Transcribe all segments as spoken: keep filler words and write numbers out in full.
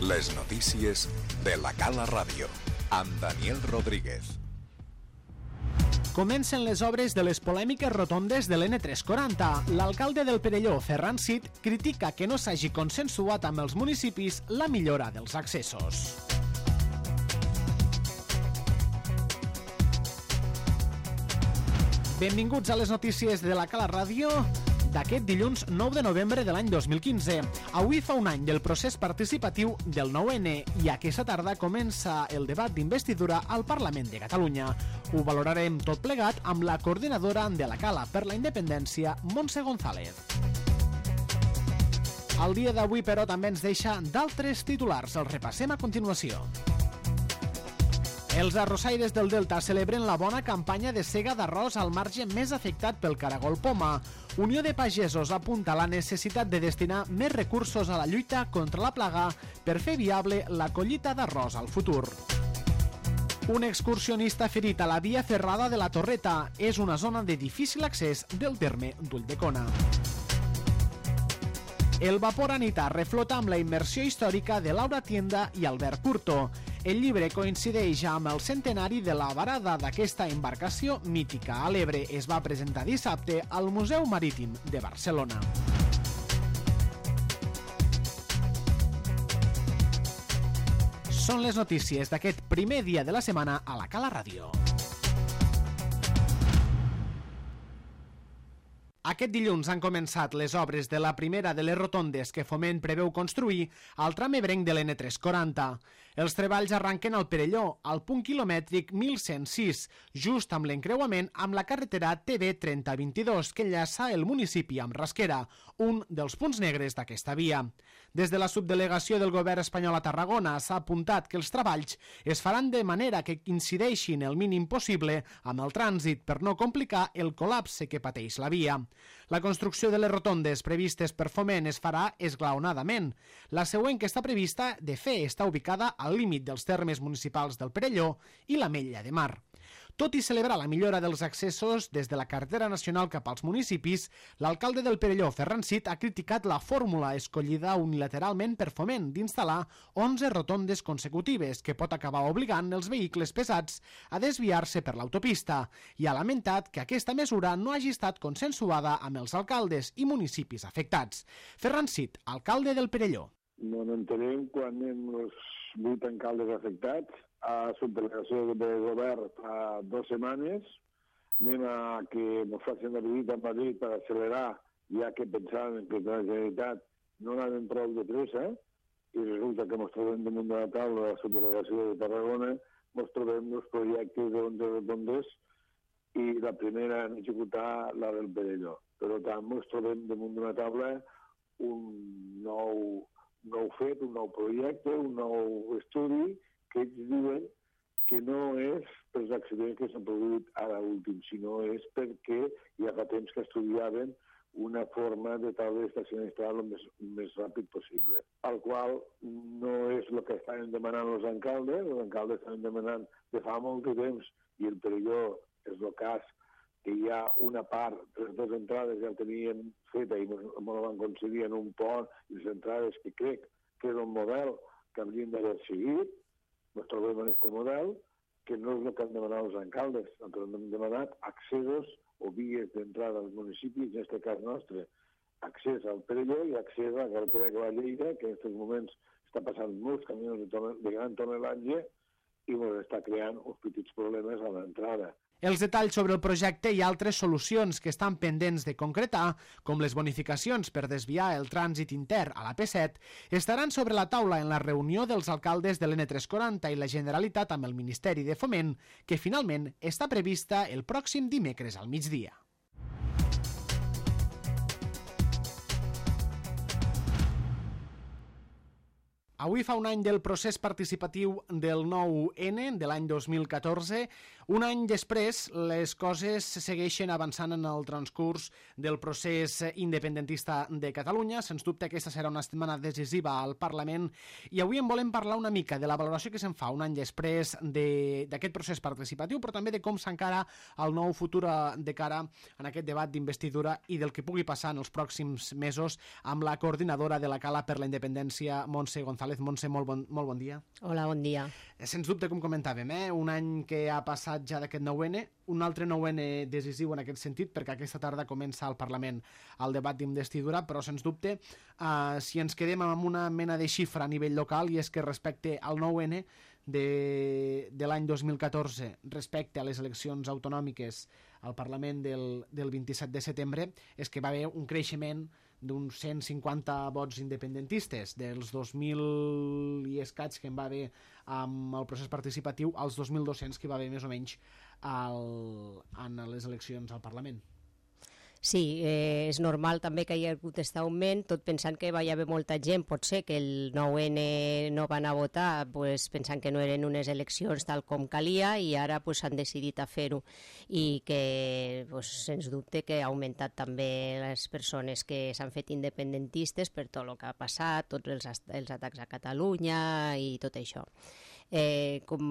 Les notícies de la Cala Ràdio, amb Daniel Rodríguez. Comencen les obres de les polèmiques rotondes de l'N tres quaranta. L'alcalde del Perelló, Ferran Cid, critica que no s'hagi consensuat amb els municipis la millora dels accessos. Benvinguts a les notícies de la Cala Ràdio d'aquest dilluns nou de novembre de l'any dos mil quinze. Avui fa un any del procés participatiu del nou ene i aquesta tarda comença el debat d'investidura al Parlament de Catalunya. Ho valorarem tot plegat amb la coordinadora de la Cala per la Independència, Montse González. El dia d'avui, però, també ens deixa d'altres titulars. Els repassem a continuació. Els arrossaires del Delta celebren la bona campanya de sega d'arròs al marge més afectat pel caragol poma. Unió de Pagesos apunta la necessitat de destinar més recursos a la lluita contra la plaga per fer viable la collita d'arròs al futur. Un excursionista ferit a la via ferrada de la Torreta. És una zona de difícil accés del terme d'Ulldecona. El vapor Anita reflota amb la immersió històrica de Laura Tienda i Albert Curto. El llibre coincideix amb el centenari de la varada d'aquesta embarcació mítica a l'Ebre. Es va presentar dissabte al Museu Marítim de Barcelona. Són les notícies d'aquest primer dia de la setmana a la Cala Ràdio. Aquest dilluns han començat les obres de la primera de les rotondes que Foment preveu construir al tram ebrenc de l'N tres quaranta. Els treballs arranquen al Perelló, al punt quilomètric mil cent sis, just amb l'encreuament amb la carretera T B trenta vint-i-dos que enllaça el municipi amb Rasquera, un dels punts negres d'aquesta via. Des de la subdelegació del govern espanyol a Tarragona s'ha apuntat que els treballs es faran de manera que incideixin el mínim possible amb el trànsit per no complicar el col·lapse que pateix la via. La construcció de les rotondes previstes per Foment es farà esglaonadament. La següent, que està prevista, de fer, està ubicada al límit dels termes municipals del Perelló i l'Ametlla de Mar. Tot i celebrar la millora dels accessos des de la carretera nacional cap als municipis, l'alcalde del Perelló, Ferran Cid, ha criticat la fórmula escollida unilateralment per Foment d'instal·lar onze rotondes consecutives que pot acabar obligant els vehicles pesats a desviar-se per l'autopista i ha lamentat que aquesta mesura no hagi estat consensuada amb els alcaldes i municipis afectats. Ferran Cid, alcalde del Perelló. No entenem quan anem els vuit alcaldes afectats a subdelegació de govern fa dues setmanes, anem a que ens facin la visita a Madrid per accelerar, ja que pensaven que la Generalitat no anaven prou de pressa, i resulta que ens trobem damunt de la taula de la subdelegació de Tarragona, ens trobem els projectes d'onze rotondes i la primera en executar la del Perelló. Per tant, ens trobem damunt d'una taula un nou, nou fet, un nou projecte, un nou estudi, que ells diuen que no és pels accidents que s'han produït ara últim, sinó és perquè ja fa temps que estudiaven una forma de tal d'estacionar el més, més ràpid possible. Al qual no és el que estaven demanant els alcaldes, els alcaldes estaven demanant de fa molt de temps, i el Perelló és el cas que hi ha una part, les dues entrades ja el tenien feta i me la van concedir en un pont, i les entrades que crec que és un model que haurien d'haver seguit. Ens trobem en aquest model, que no és el que han demanat els alcaldes. Nosaltres hem demanat accessos o vies d'entrada als municipis, en aquest cas nostre, accés al Perelló i accés a la carretera que va a Lleida, que en aquests moments està passant molts camions de, de gran tonelatge i ens està creant uns petits problemes a l'entrada. Els detalls sobre el projecte i altres solucions que estan pendents de concretar, com les bonificacions per desviar el trànsit intern a la P set, estaran sobre la taula en la reunió dels alcaldes de l'N tres quaranta i la Generalitat amb el Ministeri de Foment, que finalment està prevista el pròxim dimecres al migdia. Avui fa un any del procés participatiu del nou ene, de l'any dos mil catorze. Un any després, les coses segueixen avançant en el transcurs del procés independentista de Catalunya. Sens dubte, aquesta serà una setmana decisiva al Parlament i avui en volem parlar una mica de la valoració que se'n fa un any després d'aquest procés participatiu, però també de com s'encara el nou futur de cara en aquest debat d'investidura i del que pugui passar en els pròxims mesos amb la coordinadora de la Cala per la Independència, Montse González. González. Montse, molt bon, molt bon dia. Hola, bon dia. Sens dubte, com comentàvem, eh? un any que ha passat ja d'aquest nou ene, un altre nou ene decisiu en aquest sentit, perquè aquesta tarda comença al Parlament el debat d'investidura, però sens dubte, eh, si ens quedem amb una mena de xifra a nivell local, i és que respecte al nou ene de, de l'any dos mil catorze, respecte a les eleccions autonòmiques al Parlament del, del vint-i-set de setembre, és que va haver un creixement d'uns cent cinquanta vots independentistes, dels dos mil i escaig que en va haver amb el procés participatiu als dos mil dos-cents que hi va haver més o menys al, en les eleccions al Parlament. Sí, eh, és normal també que hi ha hagut aquest augment, tot pensant que va haver molta gent, pot ser que el nou ene no van a votar pues, pensant que no eren unes eleccions tal com calia i ara pues, han decidit a fer-ho i que pues, sens dubte que ha augmentat també les persones que s'han fet independentistes per tot el que ha passat, tots els, els atacs a Catalunya i tot això. Eh, com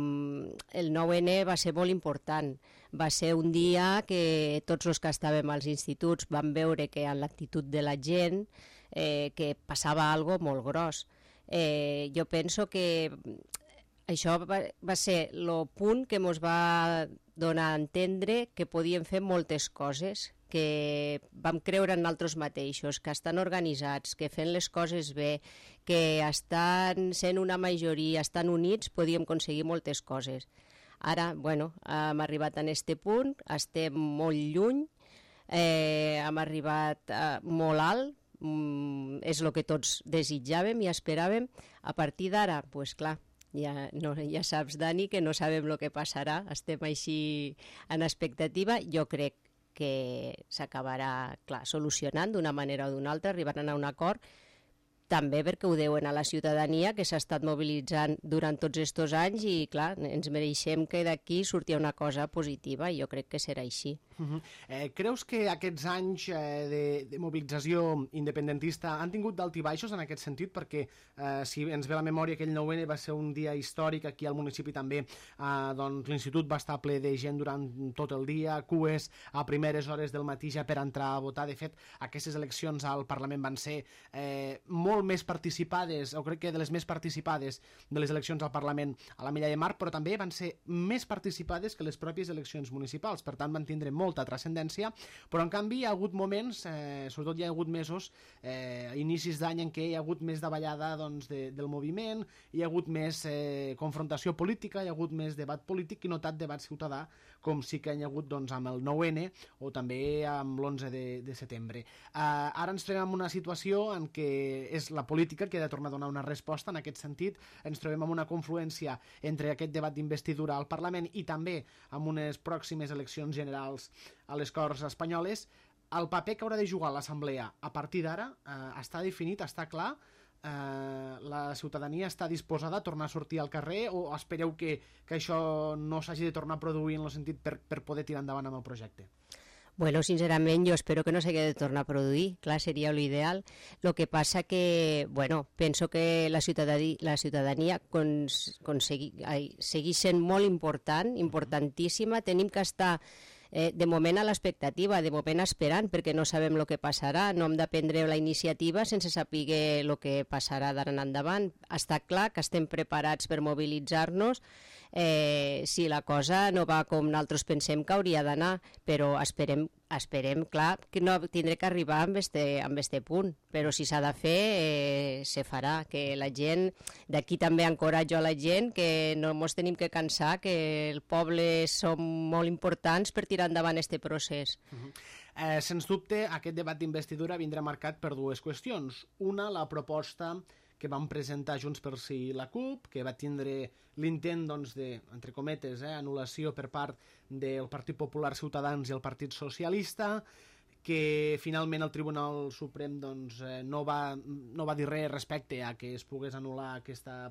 el nou ene va ser molt important, va ser un dia que tots els que estàvem als instituts vam veure que en l'actitud de la gent eh, que passava algo molt gros. Eh, jo penso que això va, va ser el punt que ens va donar a entendre que podíem fer moltes coses, que vam creure en nosaltres mateixos, que estan organitzats, que fent les coses bé, que estan sent una majoria, estan units, podíem aconseguir moltes coses. Ara, bueno, hem arribat a aquest punt, estem molt lluny, eh, hem arribat eh, molt alt, mm, és el que tots desitjàvem i esperàvem. A partir d'ara, doncs pues, clar, ja, no, ja saps, Dani, que no sabem el que passarà, estem així en expectativa. Jo crec que s'acabarà, clar, solucionant d'una manera o d'una altra, arribaran a un acord, també perquè ho deuen a la ciutadania que s'ha estat mobilitzant durant tots aquests anys i, clar, ens mereixem que d'aquí surti una cosa positiva i jo crec que serà així. Uh-huh. eh, creus que aquests anys eh, de, de mobilització independentista han tingut d'alt i baixos en aquest sentit? Perquè eh, si ens ve la memòria, aquell nou ene va ser un dia històric, aquí al municipi també eh, doncs, l'institut va estar ple de gent durant tot el dia, cues a primeres hores del matí ja per entrar a votar. De fet, aquestes eleccions al Parlament van ser eh, molt més participades, o crec que de les més participades de les eleccions al Parlament a la Milla de Mar, però també van ser més participades que les pròpies eleccions municipals, per tant van tindre molta transcendència, però en canvi hi ha hagut moments, eh, sobretot hi ha hagut mesos, eh, a inicis d'any en què hi ha hagut més davallada doncs, de, del moviment, hi ha hagut més eh, confrontació política, hi ha hagut més debat polític i no tant debat ciutadà, com sí que hi ha hagut doncs, amb el nou ene o també amb l'onze de, de setembre. Eh, ara ens trobem en una situació en què és la política que ha de tornar a donar una resposta en aquest sentit. Ens trobem amb una confluència entre aquest debat d'investidura al Parlament i també amb unes pròximes eleccions generals a les Corts Espanyoles. El paper que haurà de jugar l'Assemblea a partir d'ara eh, està definit, està clar. Eh, la ciutadania està disposada a tornar a sortir al carrer o espereu que, que això no s'hagi de tornar a produir en el sentit per, per poder tirar endavant amb el projecte? Bueno, sincerament, jo espero que no s'hagi de tornar a produir. Clar, seria l'ideal. El que passa que, bueno, penso que la ciutadania, la ciutadania cons, consegui, ai, segueix sent molt important, importantíssima. Tenim que estar eh, de moment a l'expectativa, de moment esperant, perquè no sabem el que passarà. No hem de prendre la iniciativa sense saber el que passarà d'ara en endavant. Està clar que estem preparats per mobilitzar-nos, Eh, si la cosa no va com nosaltres pensem que hauria d'anar, però esperem, esperem, clar, que no tindré que arribar amb este, amb este punt, però si s'ha de fer, eh, se farà, que la gent, d'aquí també encoratjo a la gent que no ens tenim que cansar, que el poble som molt importants per tirar endavant este procés. Uh-huh. eh, sens dubte, aquest debat d'investidura vindrà marcat per dues qüestions. Una, la proposta que van presentar Junts pel Sí i la CUP, que va tindre l'intent doncs, de, entre cometes, eh, anul·lació per part del Partit Popular, Ciutadans i el Partit Socialista, que finalment el Tribunal Suprem doncs, eh, no, va, no va dir res respecte a que es pogués anul·lar aquesta,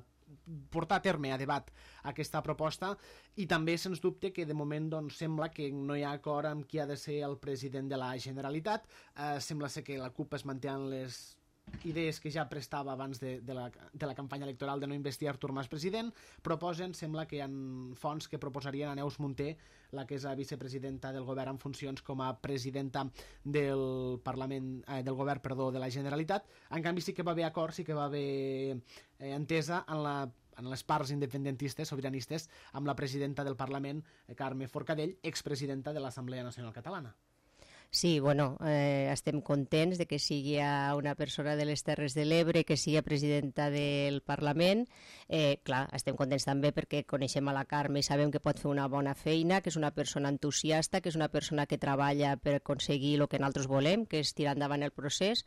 portar a terme a debat aquesta proposta, i també sens dubte que de moment doncs, sembla que no hi ha acord amb qui ha de ser el president de la Generalitat. Eh, sembla ser que la CUP es manté en les idees que ja prestava abans de, de, la, de la campanya electoral de no investir Artur Mas president, proposen, sembla que hi ha fonts que proposarien a Neus Munté, la que és la vicepresidenta del govern en funcions, com a presidenta del Parlament, eh, del govern, perdó, de la Generalitat. En canvi sí que va haver acord, sí que va haver eh, entesa en la en les parts independentistes, sobiranistes, amb la presidenta del Parlament, Carme Forcadell, expresidenta de l'Assemblea Nacional Catalana. Sí, bueno, eh, estem contents de que sigui una persona de les Terres de l'Ebre, que sigui presidenta del Parlament. Eh, clar, estem contents també perquè coneixem a la Carme i sabem que pot fer una bona feina, que és una persona entusiasta, que és una persona que treballa per aconseguir el que nosaltres volem, que és tirar endavant el procés.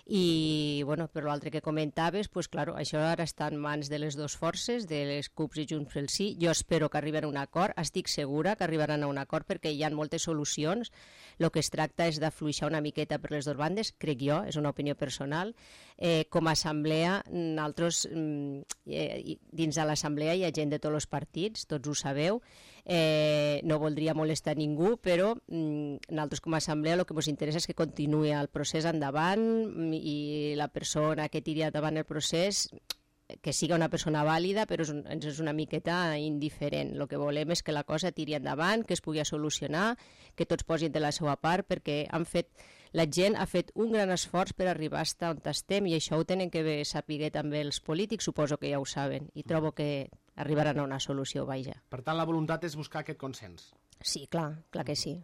I, bueno, per l'altre que comentaves, pues, claro, això ara està en mans de les dues forces, de les CUPs i Junts pel Sí. Jo espero que arriben a un acord, estic segura que arribaran a un acord perquè hi ha moltes solucions. El que es tracta és d'afluixar una miqueta per les dues bandes, crec jo, és una opinió personal. Eh, com a assemblea, nosaltres, eh, dins de l'assemblea hi ha gent de tots els partits, tots ho sabeu, eh, no voldria molestar ningú, però mm, nosaltres com a assemblea el que ens interessa és que continuï el procés endavant i la persona que tiri endavant el procés que siga una persona vàlida, però ens és una miqueta indiferent. El que volem és que la cosa tiri endavant, que es pugui solucionar, que tots posin de la seva part, perquè han fet, la gent ha fet un gran esforç per arribar fins on estem, i això ho tenen que saber també els polítics, suposo que ja ho saben, i trobo que arribaran a una solució, vaja. Per tant, la voluntat és buscar aquest consens. Sí, clar, clar que sí.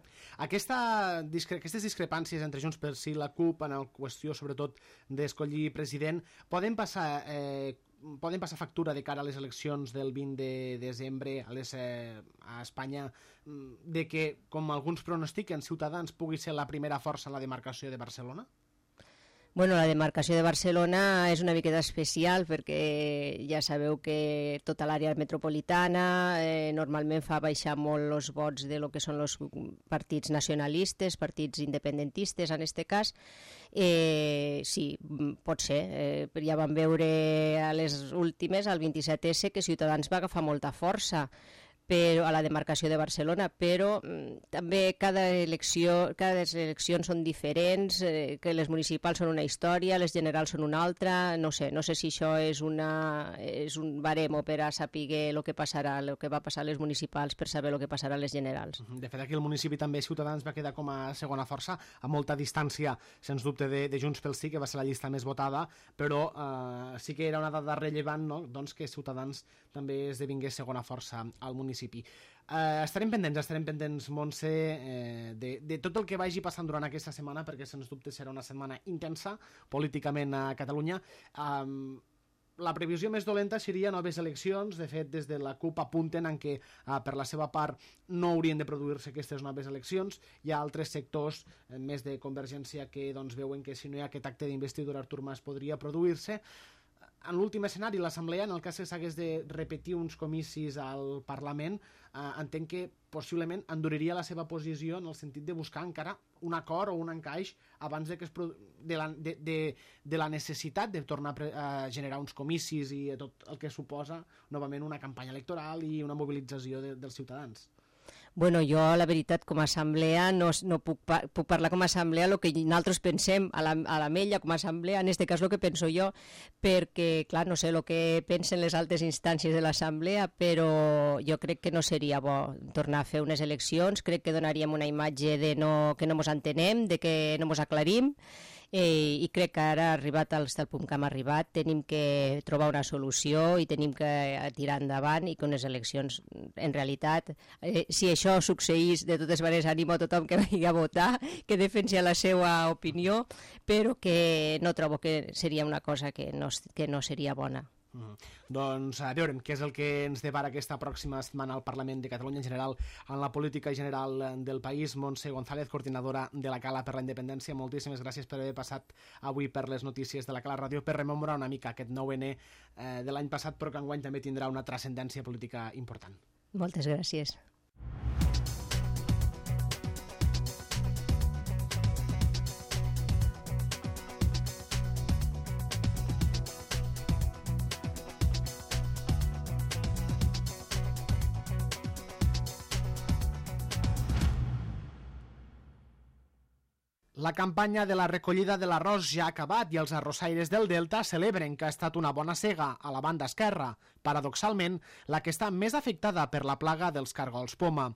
Aquesta, discre aquestes discrepàncies entre Junts pel Sí i la CUP en la qüestió, sobretot, d'escollir president, poden passar... Eh, poden passar factura de cara a les eleccions del vint de desembre a, les, eh, a Espanya, de que, com alguns pronostiquen, Ciutadans pugui ser la primera força en la demarcació de Barcelona? Bueno, la demarcació de Barcelona és una miqueta especial perquè ja sabeu que tota l'àrea metropolitana eh, normalment fa baixar molt els vots de lo que són els partits nacionalistes, partits independentistes en aquest cas. Eh, sí, pot ser. Eh, ja vam veure a les últimes, al vint-i-set esse, que Ciutadans va agafar molta força però, a la demarcació de Barcelona, però mm, també cada elecció, cada eleccions són diferents, eh, que les municipals són una història, les generals són una altra, no sé, no sé si això és, una, és un baremo per a saber el que passarà, el que va passar a les municipals per saber el que passarà a les generals. De fet, aquí el municipi també Ciutadans va quedar com a segona força, a molta distància, sens dubte, de, de Junts pel Sí, que va ser la llista més votada, però eh, sí que era una dada rellevant, no? Doncs que Ciutadans també esdevingués segona força al municipi. Uh, estarem pendents, estarem pendents, Montse, eh, de, de tot el que vagi passant durant aquesta setmana, perquè sens dubte serà una setmana intensa políticament a Catalunya. Um, la previsió més dolenta seria noves eleccions. De fet, des de la CUP apunten en què uh, per la seva part no haurien de produir-se aquestes noves eleccions. Hi ha altres sectors, eh, més de Convergència, que doncs, veuen que si no hi ha aquest acte d'investidura Artur Mas podria produir-se. En l'últim escenari, l'Assemblea, en el cas que s'hagués de repetir uns comicis al Parlament, eh, entenc que possiblement enduriria la seva posició en el sentit de buscar encara un acord o un encaix abans de, que es de, la, de, de, de la necessitat de tornar a generar uns comicis i tot el que suposa novament una campanya electoral i una mobilització de, dels ciutadans. Bueno, jo, la veritat, com a assemblea, no, no puc, puc parlar com a assemblea el que nosaltres pensem a la, a la Mella, com a assemblea, en aquest cas el que penso jo, perquè, clar, no sé el que pensen les altres instàncies de l'assemblea, però jo crec que no seria bo tornar a fer unes eleccions, crec que donaríem una imatge de no, que no ens entenem, de que no ens aclarim, Eh, i crec que ara, arribat al punt que hem arribat, tenim que trobar una solució i tenim que tirar endavant i que unes eleccions, en realitat, eh, si això succeís, de totes maneres animo a tothom que vagi a votar, que defensi la seva opinió, però que no trobo que seria una cosa que no, que no seria bona. Mm. Doncs a veurem què és el que ens depara aquesta pròxima setmana al Parlament de Catalunya, en general en la política general del país. Montse González, coordinadora de la Cala per la Independència, moltíssimes gràcies per haver passat avui per les notícies de la Cala Ràdio, per rememorar una mica aquest nou ene eh, de l'any passat, però que enguany també tindrà una transcendència política important. Moltes gràcies. La campanya de la recollida de l'arròs ja ha acabat i els arrossaires del Delta celebren que ha estat una bona sega a la banda esquerra, paradoxalment la que està més afectada per la plaga dels cargols poma.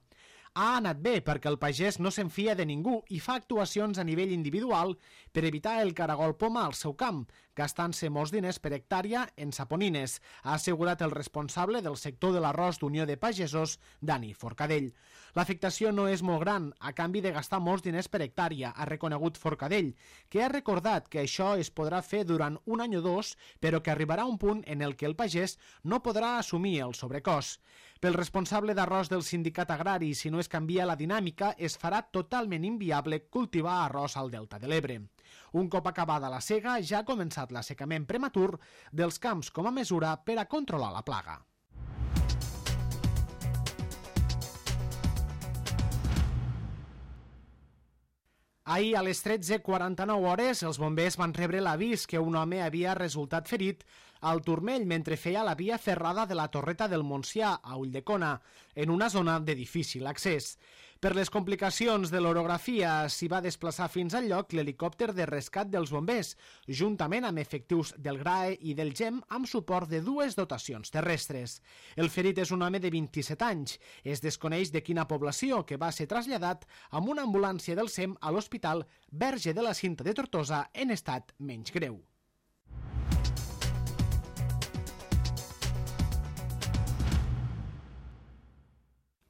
Ha anat bé perquè el pagès no se'n fia de ningú i fa actuacions a nivell individual per evitar el caragol poma al seu camp, gastant-se molts diners per hectàrea en saponines, ha assegurat el responsable del sector de l'arròs d'Unió de Pagesos, Dani Forcadell. L'afectació no és molt gran, a canvi de gastar molts diners per hectàrea, ha reconegut Forcadell, que ha recordat que això es podrà fer durant un any o dos, però que arribarà un punt en el que el pagès no podrà assumir el sobrecost. Pel responsable d'arròs del sindicat agrari, si no es canvia la dinàmica, es farà totalment inviable cultivar arròs al Delta de l'Ebre. Un cop acabada la sega, ja ha començat l'assecament prematur dels camps com a mesura per a controlar la plaga. Ahir, a les tretze quaranta-nou hores, els bombers van rebre l'avís que un home havia resultat ferit al turmell mentre feia la via ferrada de la Torreta del Montsià, a Ulldecona, en una zona de difícil accés. Per les complicacions de l'orografia, s'hi va desplaçar fins al lloc l'helicòpter de rescat dels bombers, juntament amb efectius del G R A E i del GEM amb suport de dues dotacions terrestres. El ferit és un home de vint-i-set anys. Es desconeix de quina població, que va ser traslladat amb una ambulància del SEM a l'Hospital Verge de la Cinta de Tortosa en estat menys greu.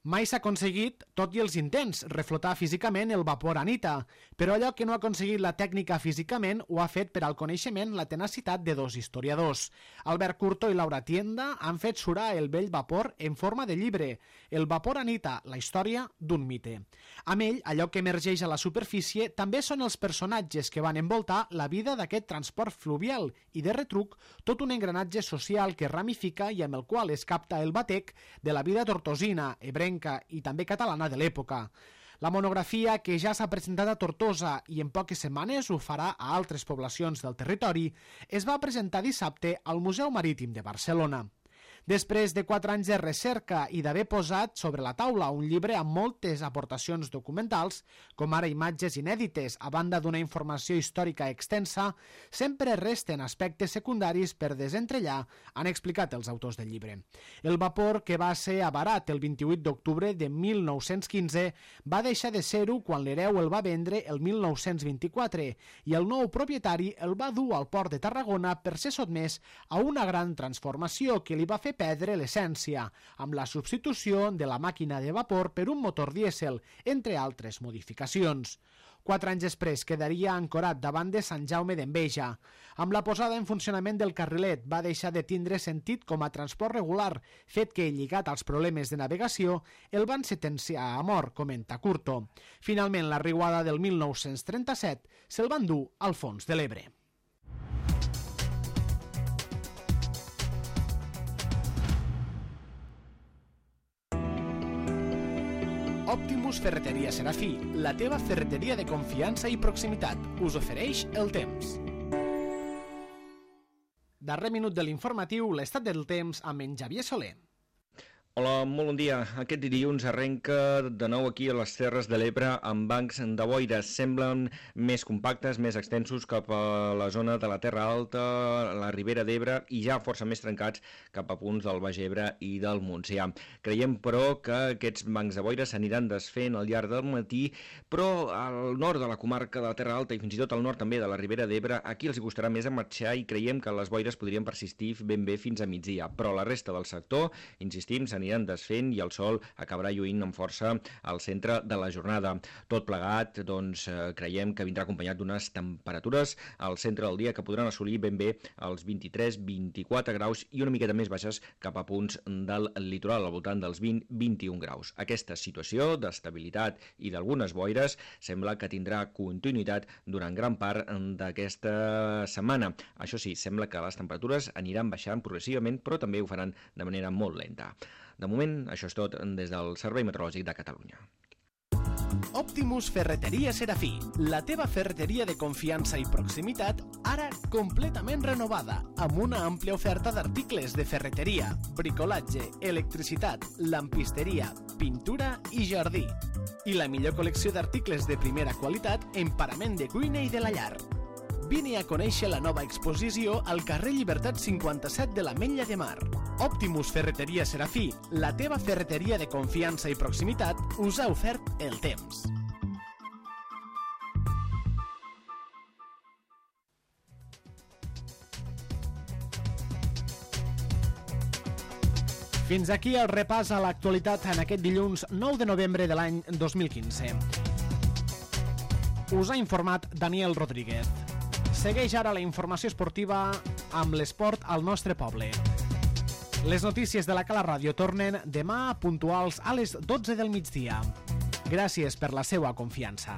Mai s'ha aconseguit, tot i els intents, reflotar físicament el vapor Anita, però allò que no ha aconseguit la tècnica físicament ho ha fet per al coneixement la tenacitat de dos historiadors. Albert Curto i Laura Tienda han fet surar el vell vapor en forma de llibre, El vapor Anita, la història d'un mite. Amb ell, allò que emergeix a la superfície també són els personatges que van envoltar la vida d'aquest transport fluvial i, de retruc, tot un engranatge social que ramifica i amb el qual es capta el batec de la vida tortosina, ebrenca i també catalana de l'època. La monografia, que ja s'ha presentat a Tortosa i en poques setmanes ho farà a altres poblacions del territori, es va presentar dissabte al Museu Marítim de Barcelona. Després de quatre anys de recerca i d'haver posat sobre la taula un llibre amb moltes aportacions documentals, com ara imatges inèdites, a banda d'una informació històrica extensa, sempre resten aspectes secundaris per desentrellar, han explicat els autors del llibre. El vapor, que va ser avarat el vint-i-vuit d'octubre de mil nou-cents quinze, va deixar de ser-ho quan l'hereu el va vendre el mil nou-cents vint-i-quatre i el nou propietari el va dur al port de Tarragona per ser sotmès a una gran transformació que li va fer perdre l'essència, amb la substitució de la màquina de vapor per un motor dièsel, entre altres modificacions. Quatre anys després quedaria ancorat davant de Sant Jaume d'Enveja. Amb la posada en funcionament del carrilet va deixar de tindre sentit com a transport regular, fet que, lligat als problemes de navegació, el van sentenciar a mort, comenta Curto. Finalment, la riuada del mil nou-cents trenta-set se'l van dur al fons de l'Ebre. Optimus Ferreteria Serafí, la teva ferreteria de confiança i proximitat, us ofereix el temps. Darrer minut de l'informatiu, l'estat del temps amb en Xavier Soler. Hola, molt bon dia. Aquest dilluns arrenca de nou aquí a les Terres de l'Ebre amb bancs de boires. Semblen més compactes, més extensos cap a la zona de la Terra Alta, la Ribera d'Ebre i ja força més trencats cap a punts del Baix Ebre i del Montsià. Creiem, però, que aquests bancs de boires s'aniran desfent al llarg del matí, però al nord de la comarca de la Terra Alta i fins i tot al nord també de la Ribera d'Ebre, aquí els costarà més a marxar i creiem que les boires podrien persistir ben bé fins a migdia. Però la resta del sector, insistim, s'aniran aniran desfent i el sol acabarà lluint amb força al centre de la jornada. Tot plegat, doncs, creiem que vindrà acompanyat d'unes temperatures al centre del dia que podran assolir ben bé els vint-i-tres vint-i-quatre graus i una miqueta més baixes cap a punts del litoral, al voltant dels vint vint i un graus. Aquesta situació d'estabilitat i d'algunes boires sembla que tindrà continuïtat durant gran part d'aquesta setmana. Això sí, sembla que les temperatures aniran baixant progressivament, però també ho faran de manera molt lenta. De moment, això és tot des del Servei Meteorològic de Catalunya. Optimus Ferreteria Serafí, la teva ferreteria de confiança i proximitat, ara completament renovada, amb una àmplia oferta d'articles de ferreteria, bricolatge, electricitat, lampisteria, pintura i jardí. I la millor col·lecció d'articles de primera qualitat en parament de cuina i de la llar. Vine a conèixer la nova exposició al carrer Llibertat cinquanta-set de l'Ametlla de Mar. Optimus Ferreteria Serafí, la teva ferreteria de confiança i proximitat, us ha ofert el temps. Fins aquí el repàs a l'actualitat en aquest dilluns nou de novembre de l'any dos mil quinze. Us ha informat Daniel Rodríguez. Segueix ara la informació esportiva amb l'esport al nostre poble. Les notícies de la Cala Ràdio tornen demà puntuals a les dotze del migdia. Gràcies per la seva confiança.